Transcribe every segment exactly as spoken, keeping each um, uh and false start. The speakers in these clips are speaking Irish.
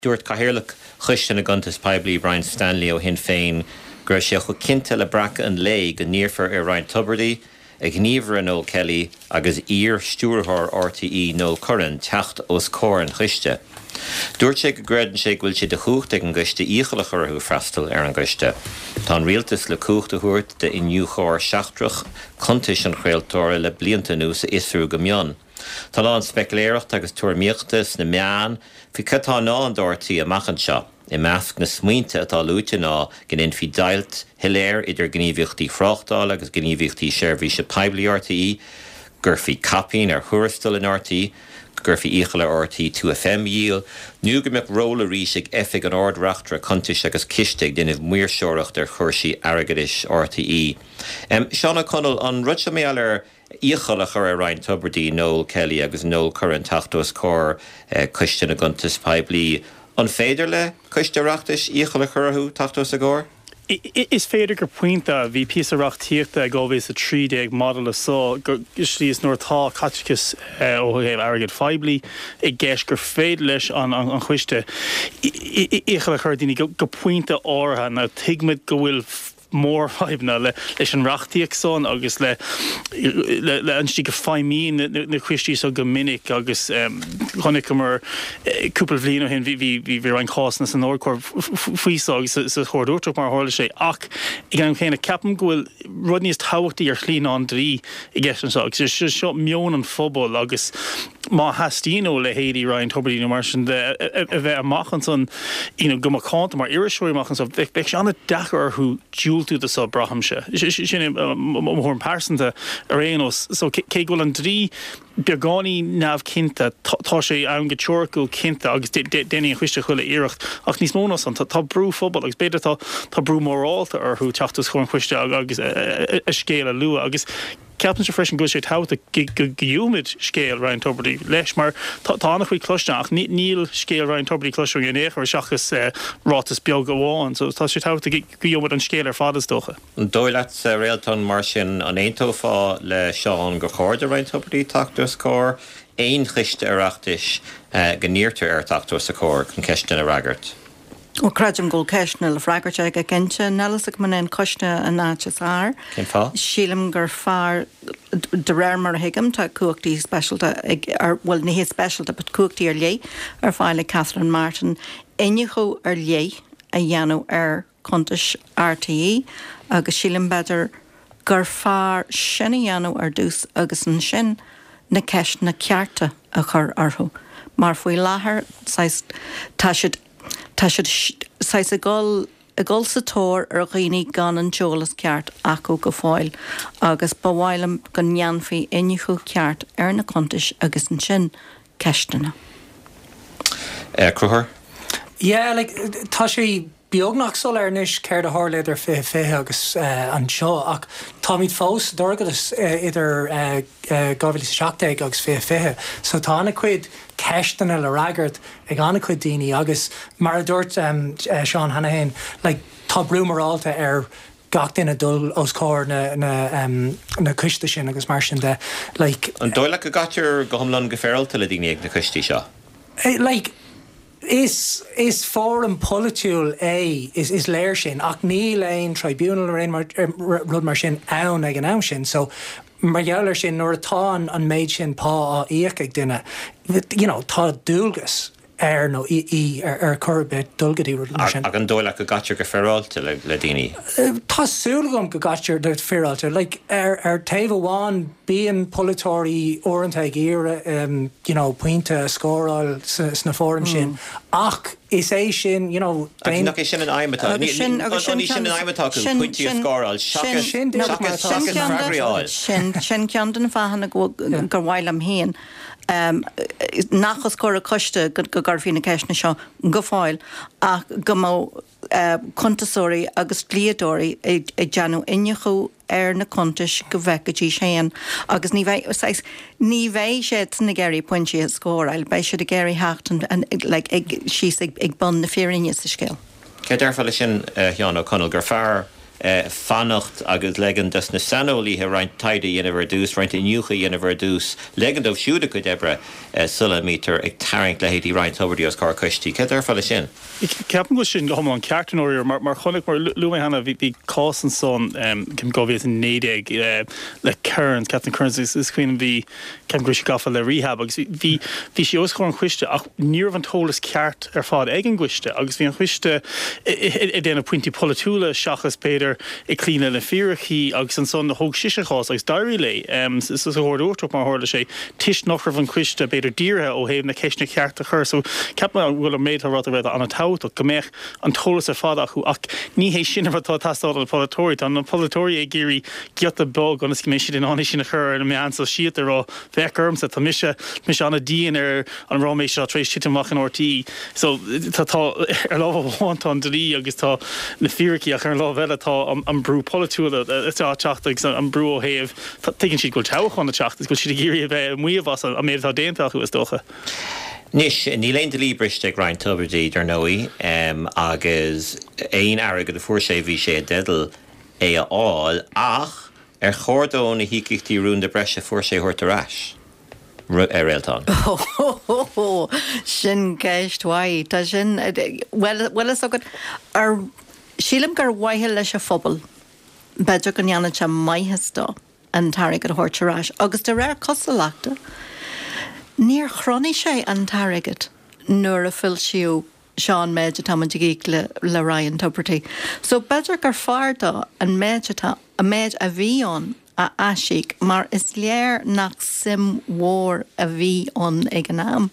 Dúirt Cathaoirleach Choiste na gCuntas Poiblí Brian Stanley ó Shinn Féin go raibh sé chomh cinnte le breacadh an lae go n-iarrfar ar Ryan Tubridy, a ghníomhaire Noel Kelly agus iar-stiúrthóir RTÉ Noel Curran teacht os comhair an choiste. Dúirt sé go gcreideann sé go bhfuil sé de chumhacht ag an gcoiste iachall a chur orthu freastal ar an gcoiste. Tá an rialtas le cumhacht a thabhairt d'iniúchóir seachtrach cuntais an chraoltóra le blianta anuas a fhiosrú go mion. Tá a lán speicealéireachta agus tuairimíochta sna meáin faoi cad atá i ndán do RTÉ amach anseo. I measc na smaointe atá luaite ná go ndéanfaí deighilt shoiléir idir gníomhaíochtaí tráchtála agus gníomhaíochtaí seirbhíse poiblí RTÉ, go gcuirfí caipín ar thuarastail in RTÉ, go gcuirfí iachall ar RTÉ Two FM a dhíol, nó go mbeadh ról arís ag Oifig an Ard-Reachtaire Cuntais agus Ciste ag déanamh maoirseoireacht ar chúrsaí airgeadais RTÉ. Seán Ó Conaill, an rud seo mar gheall ar iachall a chur ar Ryan Tubridy, Noel Kelly agus Noel Curran teacht os comhair Coiste na gCuntas Poiblí. An féidir le Coiste Oireachtais iachall a chur orthu teacht os a gcomhair? Is féidir go pointe bhí píosa reachtaíochta ag dhá mhíle a trí déag maidir le so go slí is nuair atá caiteachas ó thaobh airgead phoiblí i gceist gur féidir leis an an choiste iachall a chur daoine go pointe áirithe now tuigimid go bhfuil mórfhadhbanna le leis an reachtaíocht san agus le le an slí go feidhmíonn na coistí so go minic agus chonaiceamar cúpla bhliain ó shin bhí bhí bhí bhí roinnt cásanna san Ard-Chúirt faoi so agus sa Chúirt Uachtarach mar a tharla sé ach ag an am chéanna ceapaim go bhfuil rud níos tábhachtaí ar shlí ná an dlí i gceist anseo agus seo meon an phobail agus má theastaíonn ó leithéidí Ryan Tubridy nó mar sin de a bheith amach ansan you know, go macánta mar iriseoirí amach anseo bheadh sé an-deacair orthu diúltú do so braithimse. Sin mo thuairim pearsanta ar aon nós so cé go bhfuil an dlí beagáinín neamhchinnte tá sé ann go teoiriciúil cinnte agus déanfaidh an coiste chuile iarracht ach níos mó ná san tá brú phobail agus b'fhéidir tá tá brú morálta orthu teacht os comhair an choiste agus a scéal a lua agus ceapaimse freisin go bhfuil sé tábhachtach go gheobhaimid scéal Ryan Tubridy leis mar tá an-chuid cloiste ach níl scéal Ryan Tubridy cloiste in aon chor seachas ráiteas beag amháin so tá sé tábhachtach go gheobhaimid an scéal ar fad is dócha. An dóigh leat Réaltán mar sin an aontófá le Seán gur chóir do Ryan Tubridy teacht os comhair aon choiste Oireachtais go n-iarrtar air teacht os a chomhair chun ceisteanna a fhreagairt. Ó creidim go bhfuil ceisteanna le freagairt aige cinnte níl a fhios agam an é an coiste an áit is fearr. Cén fáth? Sílim gur fearr de réir mar a thuigim tá cumhachtaí speisialta ag ar bhfuil ní hé speisialta but cumhachtaí ar leith ar fáil ag Catherine Martin iniúchadh ar leith a dhéanamh ar chuntais RTÉ agus sílim b'fhéidir gur fearr sin a dhéanamh ar dtús agus ansin na ceisteanna cearta a chur orthu. Mar faoi láthair tá siad tá siad saghas ag dul ag dul sa tóir ar dhaoine gan an t-eolas ceart acu go fóill agus ba mhaith liom go ndéanfaí iniúchadh ceart ar na cuntais agus ansin ceisteanna. Uh, Conchúr? Yeah, like tá sé beagnach soiléir anois céard a tharla idir fiche fiche agus uh, anseo ach táimid fós dorchadas uh, idir uh, uh, dhá mhíle seacht déag agus fiche fiche so tá an-chuid ceisteanna le freagairt ag an-chuid daoine agus mar a dúirt um, uh, Seán Hanrahan like, tá brú morálta ar gach duine dul os comhair na na um, na coiste sin agus mar sin de like, An dóigh leat go gcaitear go hiomlán go féaráilte le daoine ag na coistí seo? Eh, like is is fóram polaitiúil é is is léir sin ach níl aon tribunal ar aon mar, er, rud mar sin ann ag an am sin so mar gheall air sin nuair atá an an méid sin pá á íoc ag duine you know tá dualgas air nó í í ar ar chor ar bith dul go dtí rud mar sin. Ach an dóigh leat go gcaitear go féaráilte le, le daoine. Tá súil agam go gcaitear go féaráilte like, ar ar taobh amháin bíonn polaiteoirí uaireanta ag iarraidh um, you know, pointe a scóráil sna fóraim sin ach is é sin you know, Agus nach é sin an aidhm atá Agus sin- agus sin sin sin an aidhm atá acu sin- pointí a sin- scóráil sin- Sin no, díreach mar atá. sin seachas ceann de- freagraí a fháil. Sin sin ceann de na fáthanna go gur mhaith liom féin. Um, nach os comhair coiste go go gcuirfí na ceisteanna seo go fóill ach go mbeadh uh, cuntasóirí agus dlíodóirí ag ag déanamh iniúchadh ar na cuntais go bhfeicfidís féin agus ní bheidh saghas ní bheidh siad ag iarraidh pointí a scóráil, beidh siad ag iarraidh theacht an- an- like, ag síos ag, ag bun na fírinne sa scéal. Cé déarfá leis sin Sheán Ó Conaill gur fearr fanacht agus ligean dos na saineolaithe roinnt taighde a dhéanamh ar dtús, roinnt iniúchadh a dhéanamh ar dtús, ligean dóibh siúd a gcuid oibre sula mbítear ag tarraingt leithéidí Ryan Tubridy os comhair coistí. Céard a déarfá leis sin? Ceapaim go bhfuil sin go hiomlán ceart i ndáiríre mar mar chonaic mar luaigh mé cheana bhí bhí cás ansan ceapaim dhá mhíle is a naoi déag le Kearns, Catherine Kearns is is cuimhin bhí ceapaim go raibh sí gafa le rehab agus bhí bhí sí os comhair an choiste ach ní raibh an t-eolas ceart ar fad ag an gcoiste agus bhí an coiste ag déanamh pointí polaitiúla seachas b'fhéidir ag cloí le na fíricí agus ansan thóg sise an cás agus d'éirigh léi sa Chúirt Uachtarach mar a tharla sé toisc nach raibh an coiste b'fhéidir dírithe ó thaobh na ceisteanna cearta a chur. So ceapaim go bhfuil an méid atá ráite ag Réaltán an-tábhachtach go mbeadh an t-eolas ar fad acu ach ní hé sin an rud atá ag teastáil ó na polaiteoirí. Tá na polaiteoirí ag iarraidh giota beag ionas go mbeidh siad in ann é sin a chur ar na meáin sóisialta a rá féach ormsa tá mise mise an-dian ar an ráiméis seo tar éis titim amach in RTÉ. So tá tá ar lámh amháin tá an dlí agus tá na fíricí ach ar an lámh eile tá an brú polaitiúil atá ag teacht agus an brú ó thaobh tuigeann siad go bhfuil toghchán ag teacht agus go bhfuil siad ag iarraidh a bheith ag maíomh as an méid atá déanta acu is dócha. Anois, níl aon dlí briste ag Ryan Tubridy, dar ndóigh, agus aon airgead a fuair sé bhí sé i dteideal é a fháil, ach ar chóir dó na híocaíochtaí rúnda breise a fuair sé a thabhairt ar ais? A Réaltán. Ó, sin ceist mhaith. Tá sin, bhuel, bhfuil fhios agat, ar, sílim gur ar mhaithe leis an phobal, b'fhéidir go ndéanann sé maitheas dó an t-airgead a thabhairt ar ais. Agus de réir cosúlachta, níor chronaigh sé an t-airgead nuair a foilsíodh seo an méid atá muid ag íoc le, le Ryan Tubridy. So b'fhéidir gur fearr dó an méid atá, an méid a bhí ann a aisíoc mar is léir nach suim mhór a bhí ann ag an am.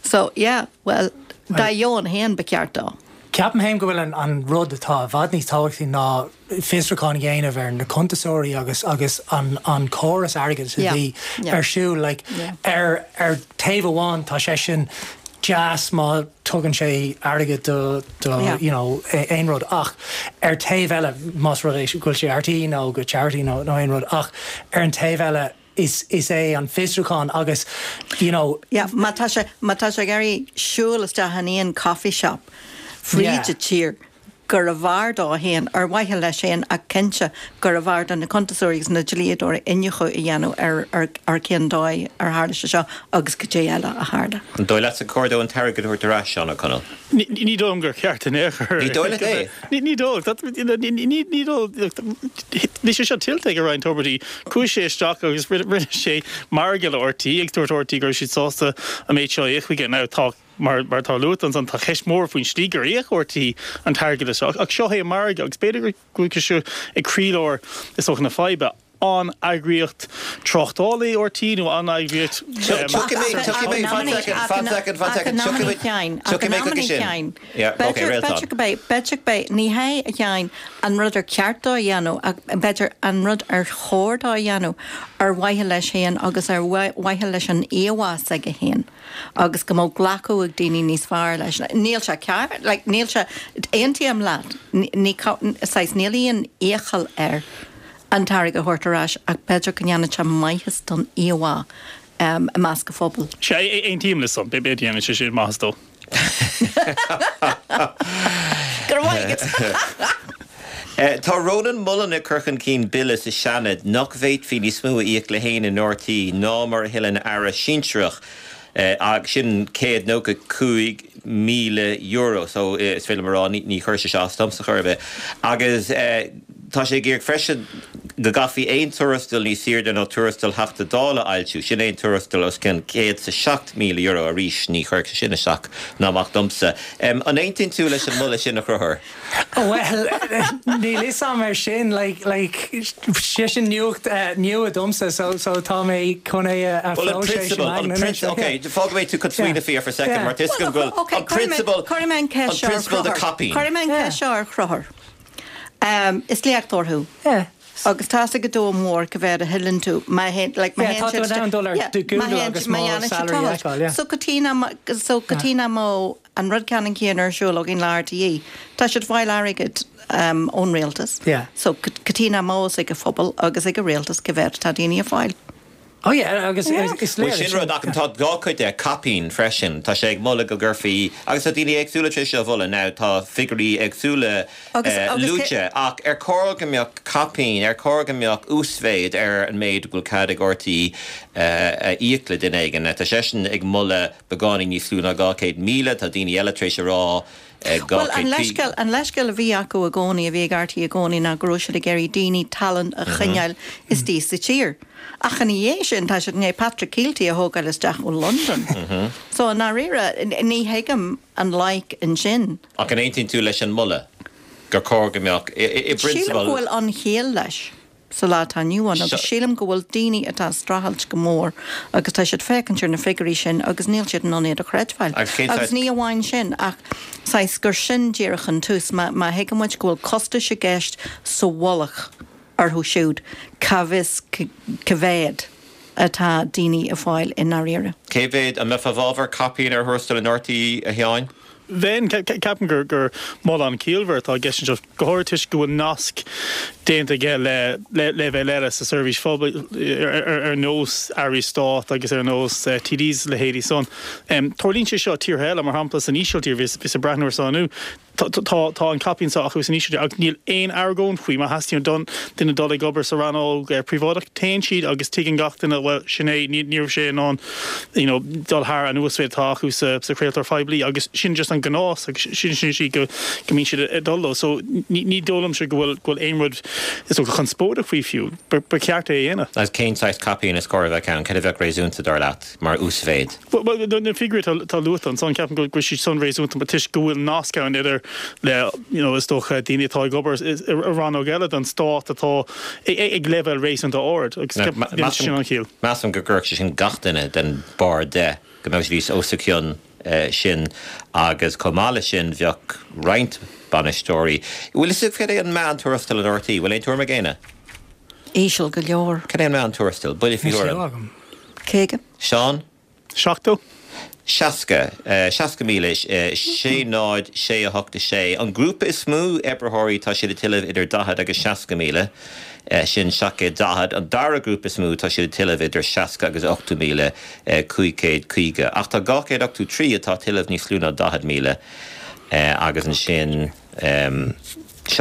So, yeah, bhuel, dá dheoin féin ba cheart dó. Ceapaim féin go bhfuil an an rud atá i bhfad níos tábhachtaí ná fiosrúchán a dhéanamh ar na cuntasóirí agus agus an an córas airgeadais a bhí ar siúl. Like, ar ar taobh amháin tá sé sin deas má tugann sé airgead do do you know aon rud ach ar taobh eile más rud é go bhfuil sé RTÉ nó go charity nó nó aon rud ach ar an taobh eile is is é an fiosrúchán agus you know. Yeah, má tá sé má tá sé ag iarraidh siúl isteach in aon coffee shop fríd an tír gurbh fhearr dó féin, ar mhaithe leis féin ach cinnte gurbh fhearr do na cuntasóirí agus na dlíodóirí iniúchadh a dhéanamh ar ar ar cén dóigh ar tharla sé seo agus cad é eile a tharla. An dóigh leatsa gur chóir dó an t-airgead a thabhairt ar ais, Seán Ó Conaill? Ní dóigh liom gur ceart in aon chor. Ní dóigh leat é? Ní dóigh. Ní dóigh. Bhí sé seo tuillte ag Ryan Tubridy. Chuaigh sé isteach agus rinne sé margadh le RTÉ agus dúirt RTÉ go raibh siad sásta an méid seo a íoc chuige. Now tá, mar atá luaite ansan, tá ceist mhór faoin slí gur íoc RTÉ an t-airgead seo. Ach seo é an margadh agus b'fhéidir go bhfuil sé ag croílár, is dócha, na faidhbe. An eagraíocht tráchtála í RTÉ nó an eagraíocht. Tiocfaidh mé, tiocfaidh mé, fan soicind, fan soicind, fan soicind, tiocfaidh mé, tiocfaidh mé chuige sin. Yeah, ok, Réaltán. B'fhéidir go mbeidh, b'fhéidir go mbeidh, ní hé a Sheáin an rud ar ceart dó a dhéanamh ach b'fhéidir an rud ar chóir dó a dhéanamh ar mhaithe leis féin agus ar mhaithe leis an íomhá s'aige féin agus go mbeadh glacadh ag daoine níos fearr leis. Níl sé ceart, like, níl sé, aontaím leat, ní, saghas, níl aon iachall air. an t-airgead a thabhairt ar ais ach b'fhéidir go ndéanfadh sé maitheas don íomhá i measc an phobail. Sea, aontaím leis san. B'fhéidir go ndéanfadh sé sin maitheas dó. Go raibh maith agat. Tá Rónán Mullen ag cur chun cinn bille sa Seanad nach bhféadfaí níos mó a íoc le héinne in RTÉ ná mar a thuilleann aire sinsearach. Agus sin céad nócha cúig míle euro so is féidir liom a rá ní chuirfeadh sé seo as domsa chor ar bith. Agus tá sé ag iarraidh freisin go gcaithfí aon tuarastal níos airde ná tuarastal Theachta Dála a fhoilsiú, sin aon tuarastal os cionn céad 's a seacht míle euro, arís ní chuirfeadh sé sin isteach ná amach domsa. An aontaíonn tú leis an moladh sin a Chonchúir? Bhuel, níl fhios a'm ar sin, like, like, sé sin nuacht nua domsa, so, so tá mé chun é a Well, an phróiseas prionsabal, an anois, prionsabal, yeah. ok, fágfaidh mé tú chun smaoineamh faoi for a second, Yeah. mar tá fhios agam go bhfuil Ok, an cuirfidh mé, prionsabal, cuirfidh mé an an ceist seo ar prionsabal de Chonchúr. caipín. Cuirfidh mé an Yeah. ceist seo ar Chonchúr. Um, is léachtóir thú. Yeah. Agus tá fhios ag an domhan mór cá mhéad a thuilleann tú má théann, like, má Yeah, théann tá tú siad in ann dul ar yeah, do má Google théann agus má mo dhéanann siad salary a tochailt. fheiceáil, yeah. So cad chuige nach, so cad chuige nach mbeadh an rud ceannann céanna ar siúl againn le RTÉ. Tá siad ag fáil airgead um, ón rialtas. Yeah. So cad chuige nach mbeadh fhios ag an phobal agus ag an rialtas cá mhéad atá daoine ag fáil. Oh yeah, agus is léir sin rud ach tá dhá chuid de caipín freisin tá sé ag moladh go gcuirfí agus tá daoine éagsúla tar éis a mholadh now tá figiúirí éagsúla luaite ach ar chóir go mbeadh caipín ar chóir go mbeadh uasmhéid ar an méid go bhfuil cead ag RTÉ a íoc le duine éigin tá seisean ag moladh beagáinín níos lú ná dhá chéad míle tá daoine eile tar éis a rá Well an leithscéal an leithscéal a bhí acu i gcónaí a bhí ag RTÉ i gcónaí ná go raibh siad ag iarraidh daoine tallann a choinneáil istigh sa tír. Ach ina dhiaidh sin tá siad i ndiaidh Patrick Kielty a thógáil isteach ó Londain. So i ndáiríre ní thuigim an loighic ansin. Ach an aontaíonn tú leis an moladh gur chóir go mbeadh i Sílim bprionsabal go bhfuil an chiall leis sa lá atá inniu ann agus sílim go bhfuil daoine atá ag streachailt go mór agus tá siad féachaint ar na figiúirí sin agus níl siad in ann iad a chreidbheáil. Agus ní amháin sin ach saghas gur sin díreach an tús má má thuigeann muid go bhfuil costais i gceist sa mhullach orthu siúd cá bhfios cá mhéad atá daoine ag fáil i ndáiríre. Cé mhéad an mbeifeá i bhfabhar caipín ar thuarastal in RTÉ a Sheáin? Bheinn, ceapaim gur gur moladh an-chiallmhar atá i gceist anseo, go háirithe toisc go bhfuil nasc déanta aige le leibhéil eile sa seirbhís phoiblí ar nós Airí Stáit agus ar nós TDs a leithéidí san. Tarlaíonn sé seo i tíortha eile, mar shampla san Ísiltír, bhíos ag breathnú ar san inniu, Tá an caipín seo acu san Ísiltír ach níl aon argóint faoi. Má theastaíonn don duine dul ag obair sa rannóg príobháideach, téann siad agus tuigeann gach duine, bhuel, sin é, ní raibh sé in ann you know dul thar an uasmhéid atá acu sa chraoltóir phoiblí agus sin just an gnás agus sin sin sí go go mbíonn siad ag dul leo. So ní ní dóigh liomsa go bhfuil go bhfuil aon rud is dócha conspóideach faoi fiú. Ba ba cheart é a dhéanamh. Agus cén saghas caipín is cóir a bheith ann? Cad a bheadh réasúnta dar leat mar uasmhéid? Bhuel, na figiúirí atá luaite ansan, ceapaim go bhfuil siad san réasúnta toisc go bhfuil nasc ann idir le, you know, is dócha daoine atá ag obair i rannóg eile den stát atá ag leibhéal réasúnta ard agus ceapaim sin an chiall. Measaim go gcuirfeadh sé sin gach duine den barr de, go mbeadh siad os a chionn sin agus chomh maith leis sin bheadh roinnt bainisteoirí. Bhfuil fhios agat cad é an meán tuarastal in RTÉ? Bhfuil aon tuairim ag éinne? Íseal go leor. Cad é an meán tuarastal? Buille faoi thuairim. Caoga. Seán? Seachtó. Seasca. Seasca míle, sé náid, sé a hocht a sé. An grúpa is mó oibritheoirí tá siad ag tuilleamh idir daichead agus seasca míle, sin seacht gcéad daichead. An dara grúpa is mó tá siad ag tuilleamh idir seasca agus ochtó míle, cúig chéad caoga. Ach tá dhá chéad ochtó trí atá ag tuilleamh níos lú ná daichead míle agus ansin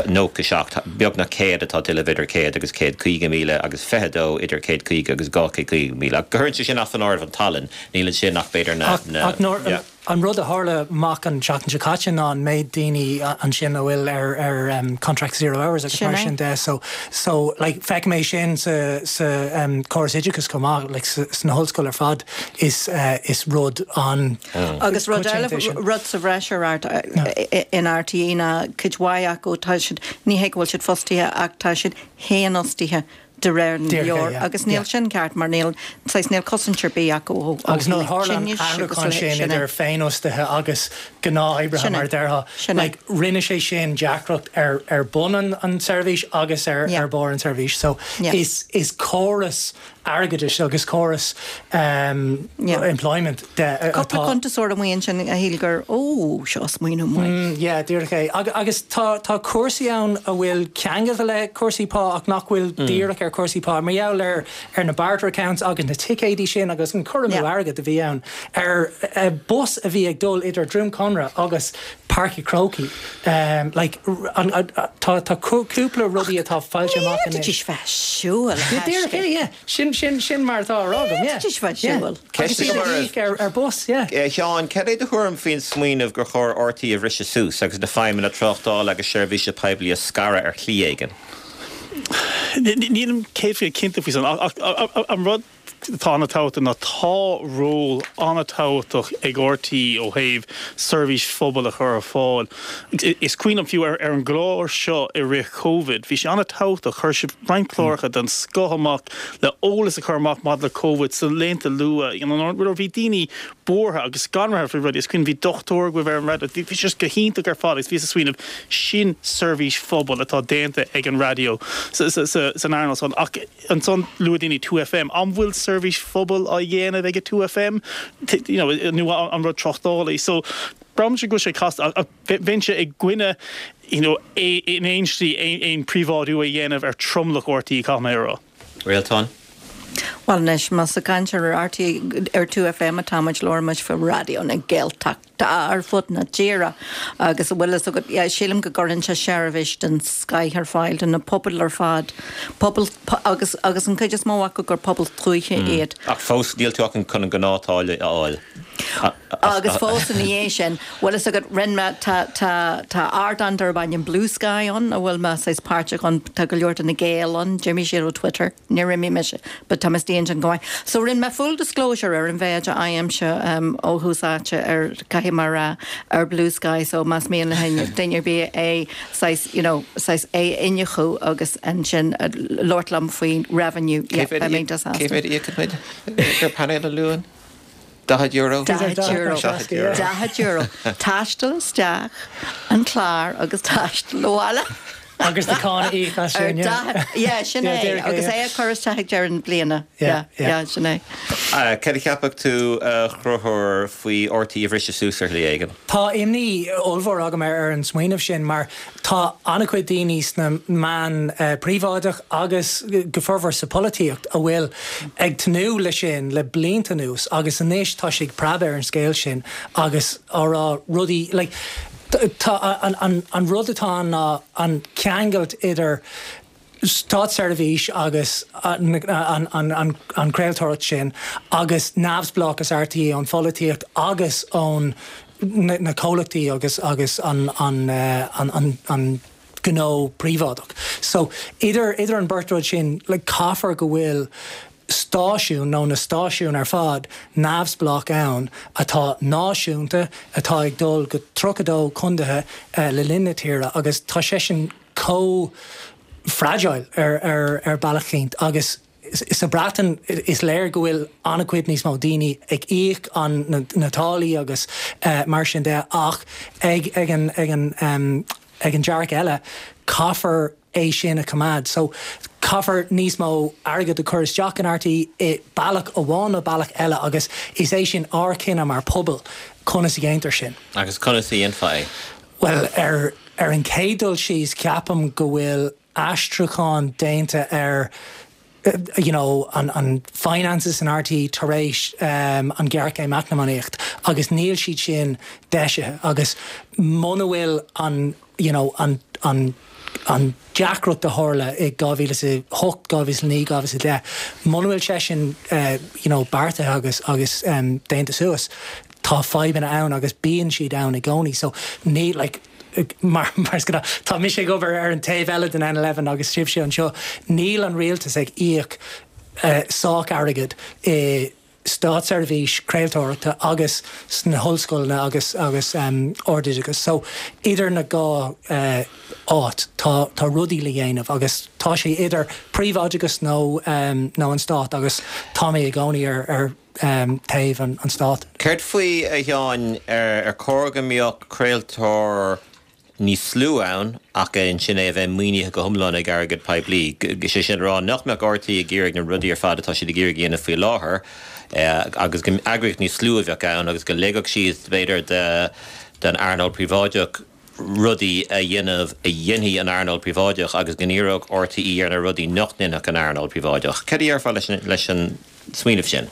nócha seacht, beagnach céad atá ag tuilleamh idir céad agus céad caoga míle agus fiche dó idir céad caoga agus dhá chéad caoga míle. Ach go gcuireann sé sin as an áireamh an tallann, níl ansin ach b'fhéidir na, na, Ach nuair, yeah. an rud a tharla amach an tseachtain seo caite ná an méid daoine ansin a bhfuil ar, ar um, contract zero hours agus Sin mar é. sin de. So, so like, feicim é sin sa, sa um, córas oideachais chomh maith, like, sa, sna hollscoil ar fad is, uh, is rud an Agus rud eile, coitianta é sin. rud sa bhreis ar art, in RTÉ ná cuid mhaith acu tá siad, ní hé go bhfuil siad fostaithe ach tá siad fhéinfhostaithe de réir na Díreach é, leabhar yeah, agus níl yeah. sin ceart mar níl, saghas níl cosaint ar bith acu ó ó Agus nuair a thaobh tharla an tinnis agus athrúchán a leithéid sin sin é. idir féinfhostaithe agus gnáthoibrithe Sin é. mar a déarfá, Sin é. like, rinne sé sin deacracht ar, ar bun an, an tseirbhís agus ar, Yeah. ar barr an tseirbhís. So Yeah. is, is córas airgeadais agus córas um, Yeah. employment de Cúpla atá cuntasóir amuigh ansin a shíl gur ó seo smaoineamh maith. Mm, yeah, díreach é. Ag, agus tá, tá cúrsaí ann a bhfuil ceangailte le cúrsaí pá ach nach bhfuil mm. díreach ar cúrsaí pá. Mar gheall ar, ar na barter accounts agus na ticéidí sin agus an cur amú Yeah. airgid a bhí ann ar uh, bus a bhí ag dul idir Droim Conrach agus Páirc an Chrócaigh. Um, like, r- an, an, tá, tá cú- cúpla rudaí atá faighte amach Ní anois. bheith siúil Yeah, díreach é, yeah. Sin, sin, sin mar atá á rá agam, yeah. Ní bheith Yeah. siúil. Ceist Agus iad agam ag íoc ar, ar bus, yeah. Eh, Sheáin, cad é do thuairim faoin smaoineamh gur chóir RTÉ a bhriseadh suas agus na feidhmeanna tráchtála agus seirbhíse poiblí a scaradh ar shlí éigin? Nílim céad faoin cinnte faoi san ach an rud atá an-tábhachtach ná tá ról an-tábhachtach ag RTÉ ó thaobh seirbhís phobail a chur ar fáil. Is cuimhin liom fiú ar ar an gclár seo i rith Covid, bhí sé an-tábhachtach chuir sibh roinnt cláracha den scoth amach le eolas a chur amach maidir le Covid sa laethanta luath. You know, nuair a bhí daoine buartha agus scanraithe faoi rudaí, is cuimhin bhí dochtúir agaibh ar an raidió, bhí sé go hiontach ar fad agus bhí sa smaoineamh sin seirbhís phobail atá déanta ag an raidió san earnáil san ach ansan luaigh daoine two FM. An bhfuil seirbhís phobail á dhéanamh ag two FM you know, nó an rud tráchtála. So braithimse go sé casta bheinnse i gcoinne you know, in aon slí aon príobháidiú a dhéanamh ar tromlach RTÉ caithfidh mé a rá. Réaltán? Well anois más ag caint ar RTÉ ar two FM atá muid labhraíonn muid faoi Raidió na Gaeltachta ar fud na tíre agus bhfuil fhios agat yeah, sílim go gcuireann sé seirbhís den scoth ar fáil do na pobail ar fad pobal agus agus an chuid is mó acu gur pobal tuaithe mm. iad. Ach fós níl tú ach chun an gnáth-tháille a fháil. Agus fós ina dhiaidh sin bhfuil fhios agat rinne mé tá tá tá ardán darb ainm Blue Sky ann a bhfuil mé saghas páirteach ann tá go leor de na Gaeil ann d'imigh siad ó Twitter níor imigh mise but tá mé ansin go maith. So rinne mé full disclosure ar an mhéid a fhaighimse um, ó thús áite ar caithfidh mé rá ar Blue Sky so más mian le duine ar bith é saghas you know saghas é iniúchadh agus ansin uh, labhairt liom faoin revenue yeah, beidh mé Cé mhéad íocann muid gur painéal a luann? Daichead euro? Daichead euro. Daichead euro. Taisteal isteach an clár agus taisteal abhaile. Agus na cáin a íoc as sin, yeah. Yeah, sin é. Agus é a chur isteach ag deireadh na bliana. Yeah, yeah, sin é. Cad a cheapfadh tú a Chonchúir faoi RTÉ a bhriseadh suas ar shlí éigin? Tá imní ollmhór agam ar ar an smaoineamh sin mar tá an-chuid daoine sna meáin príobháideach agus go formhór sa pholaitíocht a bhfuil ag tnúth leis sin le blianta anuas agus anois tá sé ag preabadh ar an scéal sin agus á rá rudaí like tá an an an rud atá ann ná an ceangailt idir státseirbhís agus an an an an craoltóireacht sin agus neamhspleáchas RTÉ ón pholaitíocht agus ón na na comhlachtaí agus agus an an an an an gnó príobháideach. So idir idir an beirt rud sin like caithfear go bhfuil stáisiún nó na stáisiúin ar fad neamhspleách ann atá náisiúnta atá ag dul go tríocha dó contaetha le linn na tíre agus tá sé sin chomh fragile ar ar ar bealach éicint agus sa Breatain is léir go bhfuil an-chuid níos mó daoine ag íoc an na, na táillí agus uh, mar sin de ach ag ag an ag an um, ag an dearcadh eile caithfear é sin a choimeád. So caithfear níos mó airgead a chur isteach in RTÉ i bealach amháin nó bealach eile agus is é sin ár gcinneadh mar pobal conas a dhéantar sin. Agus conas a dhéanfá é? Well ar ar an chéad dul síos ceapaim go bhfuil aistriúchán déanta ar you know, an, an finances in RTÉ tar éis um, an ghéarchéim eacnamaíocht agus níl siad sin deisithe agus muna bhfuil an you know, an, an an deacracht a tharla i dhá mhíle is a hocht dhá mhíle naoi dhá mhíle deich muna bhfuil sé sin uh, you know, beartaithe agus agus um, déanta suas tá fadhbanna ann agus bíonn siad ann i gcónaí so ní like mar mar tá mise ag obair ar an taobh eile den N eleven agus sibhse anseo níl an rialtas ag íoc uh, sách airgead i státseirbhís craoltóireachta agus sna hollscoileanna agus agus um, ardoideachas. So idir na dhá uh, áit tá tá rudaí le dhéanamh agus tá sé idir príobháideachas nó um, nó an stát agus tá mé i gcónaí ar ar um, taobh an, an stát. Céard faoi a Sheáin ar ar chóir go mbeadh craoltóir níos lú ann ach ansin é a bheith maoinithe go hiomlán ag airgead poiblí. Sé sin rá nach mbeadh RTÉ ag iarraidh na rudaí ar fad atá siad ag iarraidh a dhéanamh faoi láthair agus go eagraíocht níos lú a bheadh ann agus go ligfeadh siad b'fhéidir den earnáil príobháideach rudaí a dhéanamh a dhéanfaidh an earnáil príobháideach agus go ndíreodh RTÉ ar na rudaí nach ndéanfadh an earnáil príobháideach. Cad a déarfá leis an smaoineamh sin?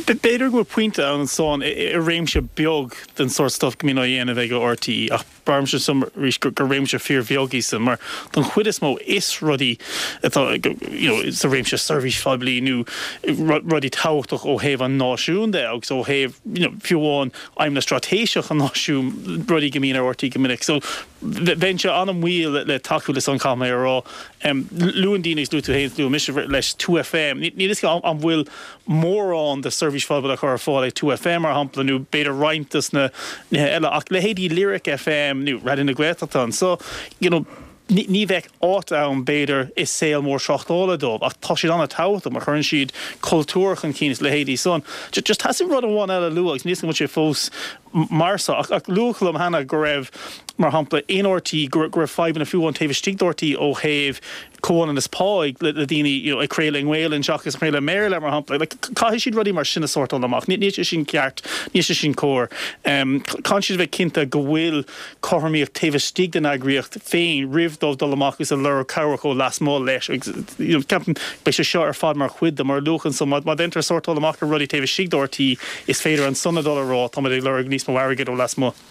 B'fhéidir go bhfuil pointe ann ansan i réimse beag den sórt stuff go mbíonn á dhéanamh ag RTÉ ach braithimse arís gur réimse fíorbheag í san mar don chuid is mó is rudaí atá you know, sa réimse seirbhís phoiblí nó rudaí tábhachtach ó thaobh an náisiún de agus ó thaobh you know, fiú amháin aidhmeanna straitéiseach an náisiún rudaí go mbíonn ar RTÉ go minic. So bheinnse an-mhoill le tacú leis an caithfidh mé a rá. Luann daoine is luaigh tú féin luaigh mise leis two FM. Níl fhios agam an bhfuil mórán de seirbhís phoiblí á chur ar fáil ag two FM mar shampla nó b'fhéidir roinnt dos na nithe eile ach leithéidí Lyric FM nó Raidió na Gaeltachta anso you know, ní ní bheadh áit ann b'fhéidir i saol mór tráchtála dóibh ach tá siad an-tábhachtach mar chuireann siad cultúr chun cinn is leithéidí san. Just theastaigh rud amháin eile a lua agus níl fhios agam an bhfuil sé fós mar so ach ach luadh liom cheana go raibh mar shampla in RTÉ go raibh fadhbanna fiú amháin taobh istigh d'RTÉ ó thaobh comhionannas pá le, le daoine you know, ag craoladh i nGaeilge seachas craoladh i mBéarla mar shampla like, caithfidh siad rudaí mar sin a shórtáil amach níl sé sin ceart níl sé sin cóir um, caithfidh siad bheith cinnte go bhfuil cothromaíocht taobh istigh den eagraíocht féin roimh dóibh dul amach agus a lorg cabhrach ó lasmuigh leis you know, ceapaim beidh sé seo ar fad mar chuid de mar luachan so má déantar sórtáil amach ar rudaí taobh istigh d'RTÉ is féidir ansan a dul a rá tá ag lorg níos mó airgid ó lasmuigh.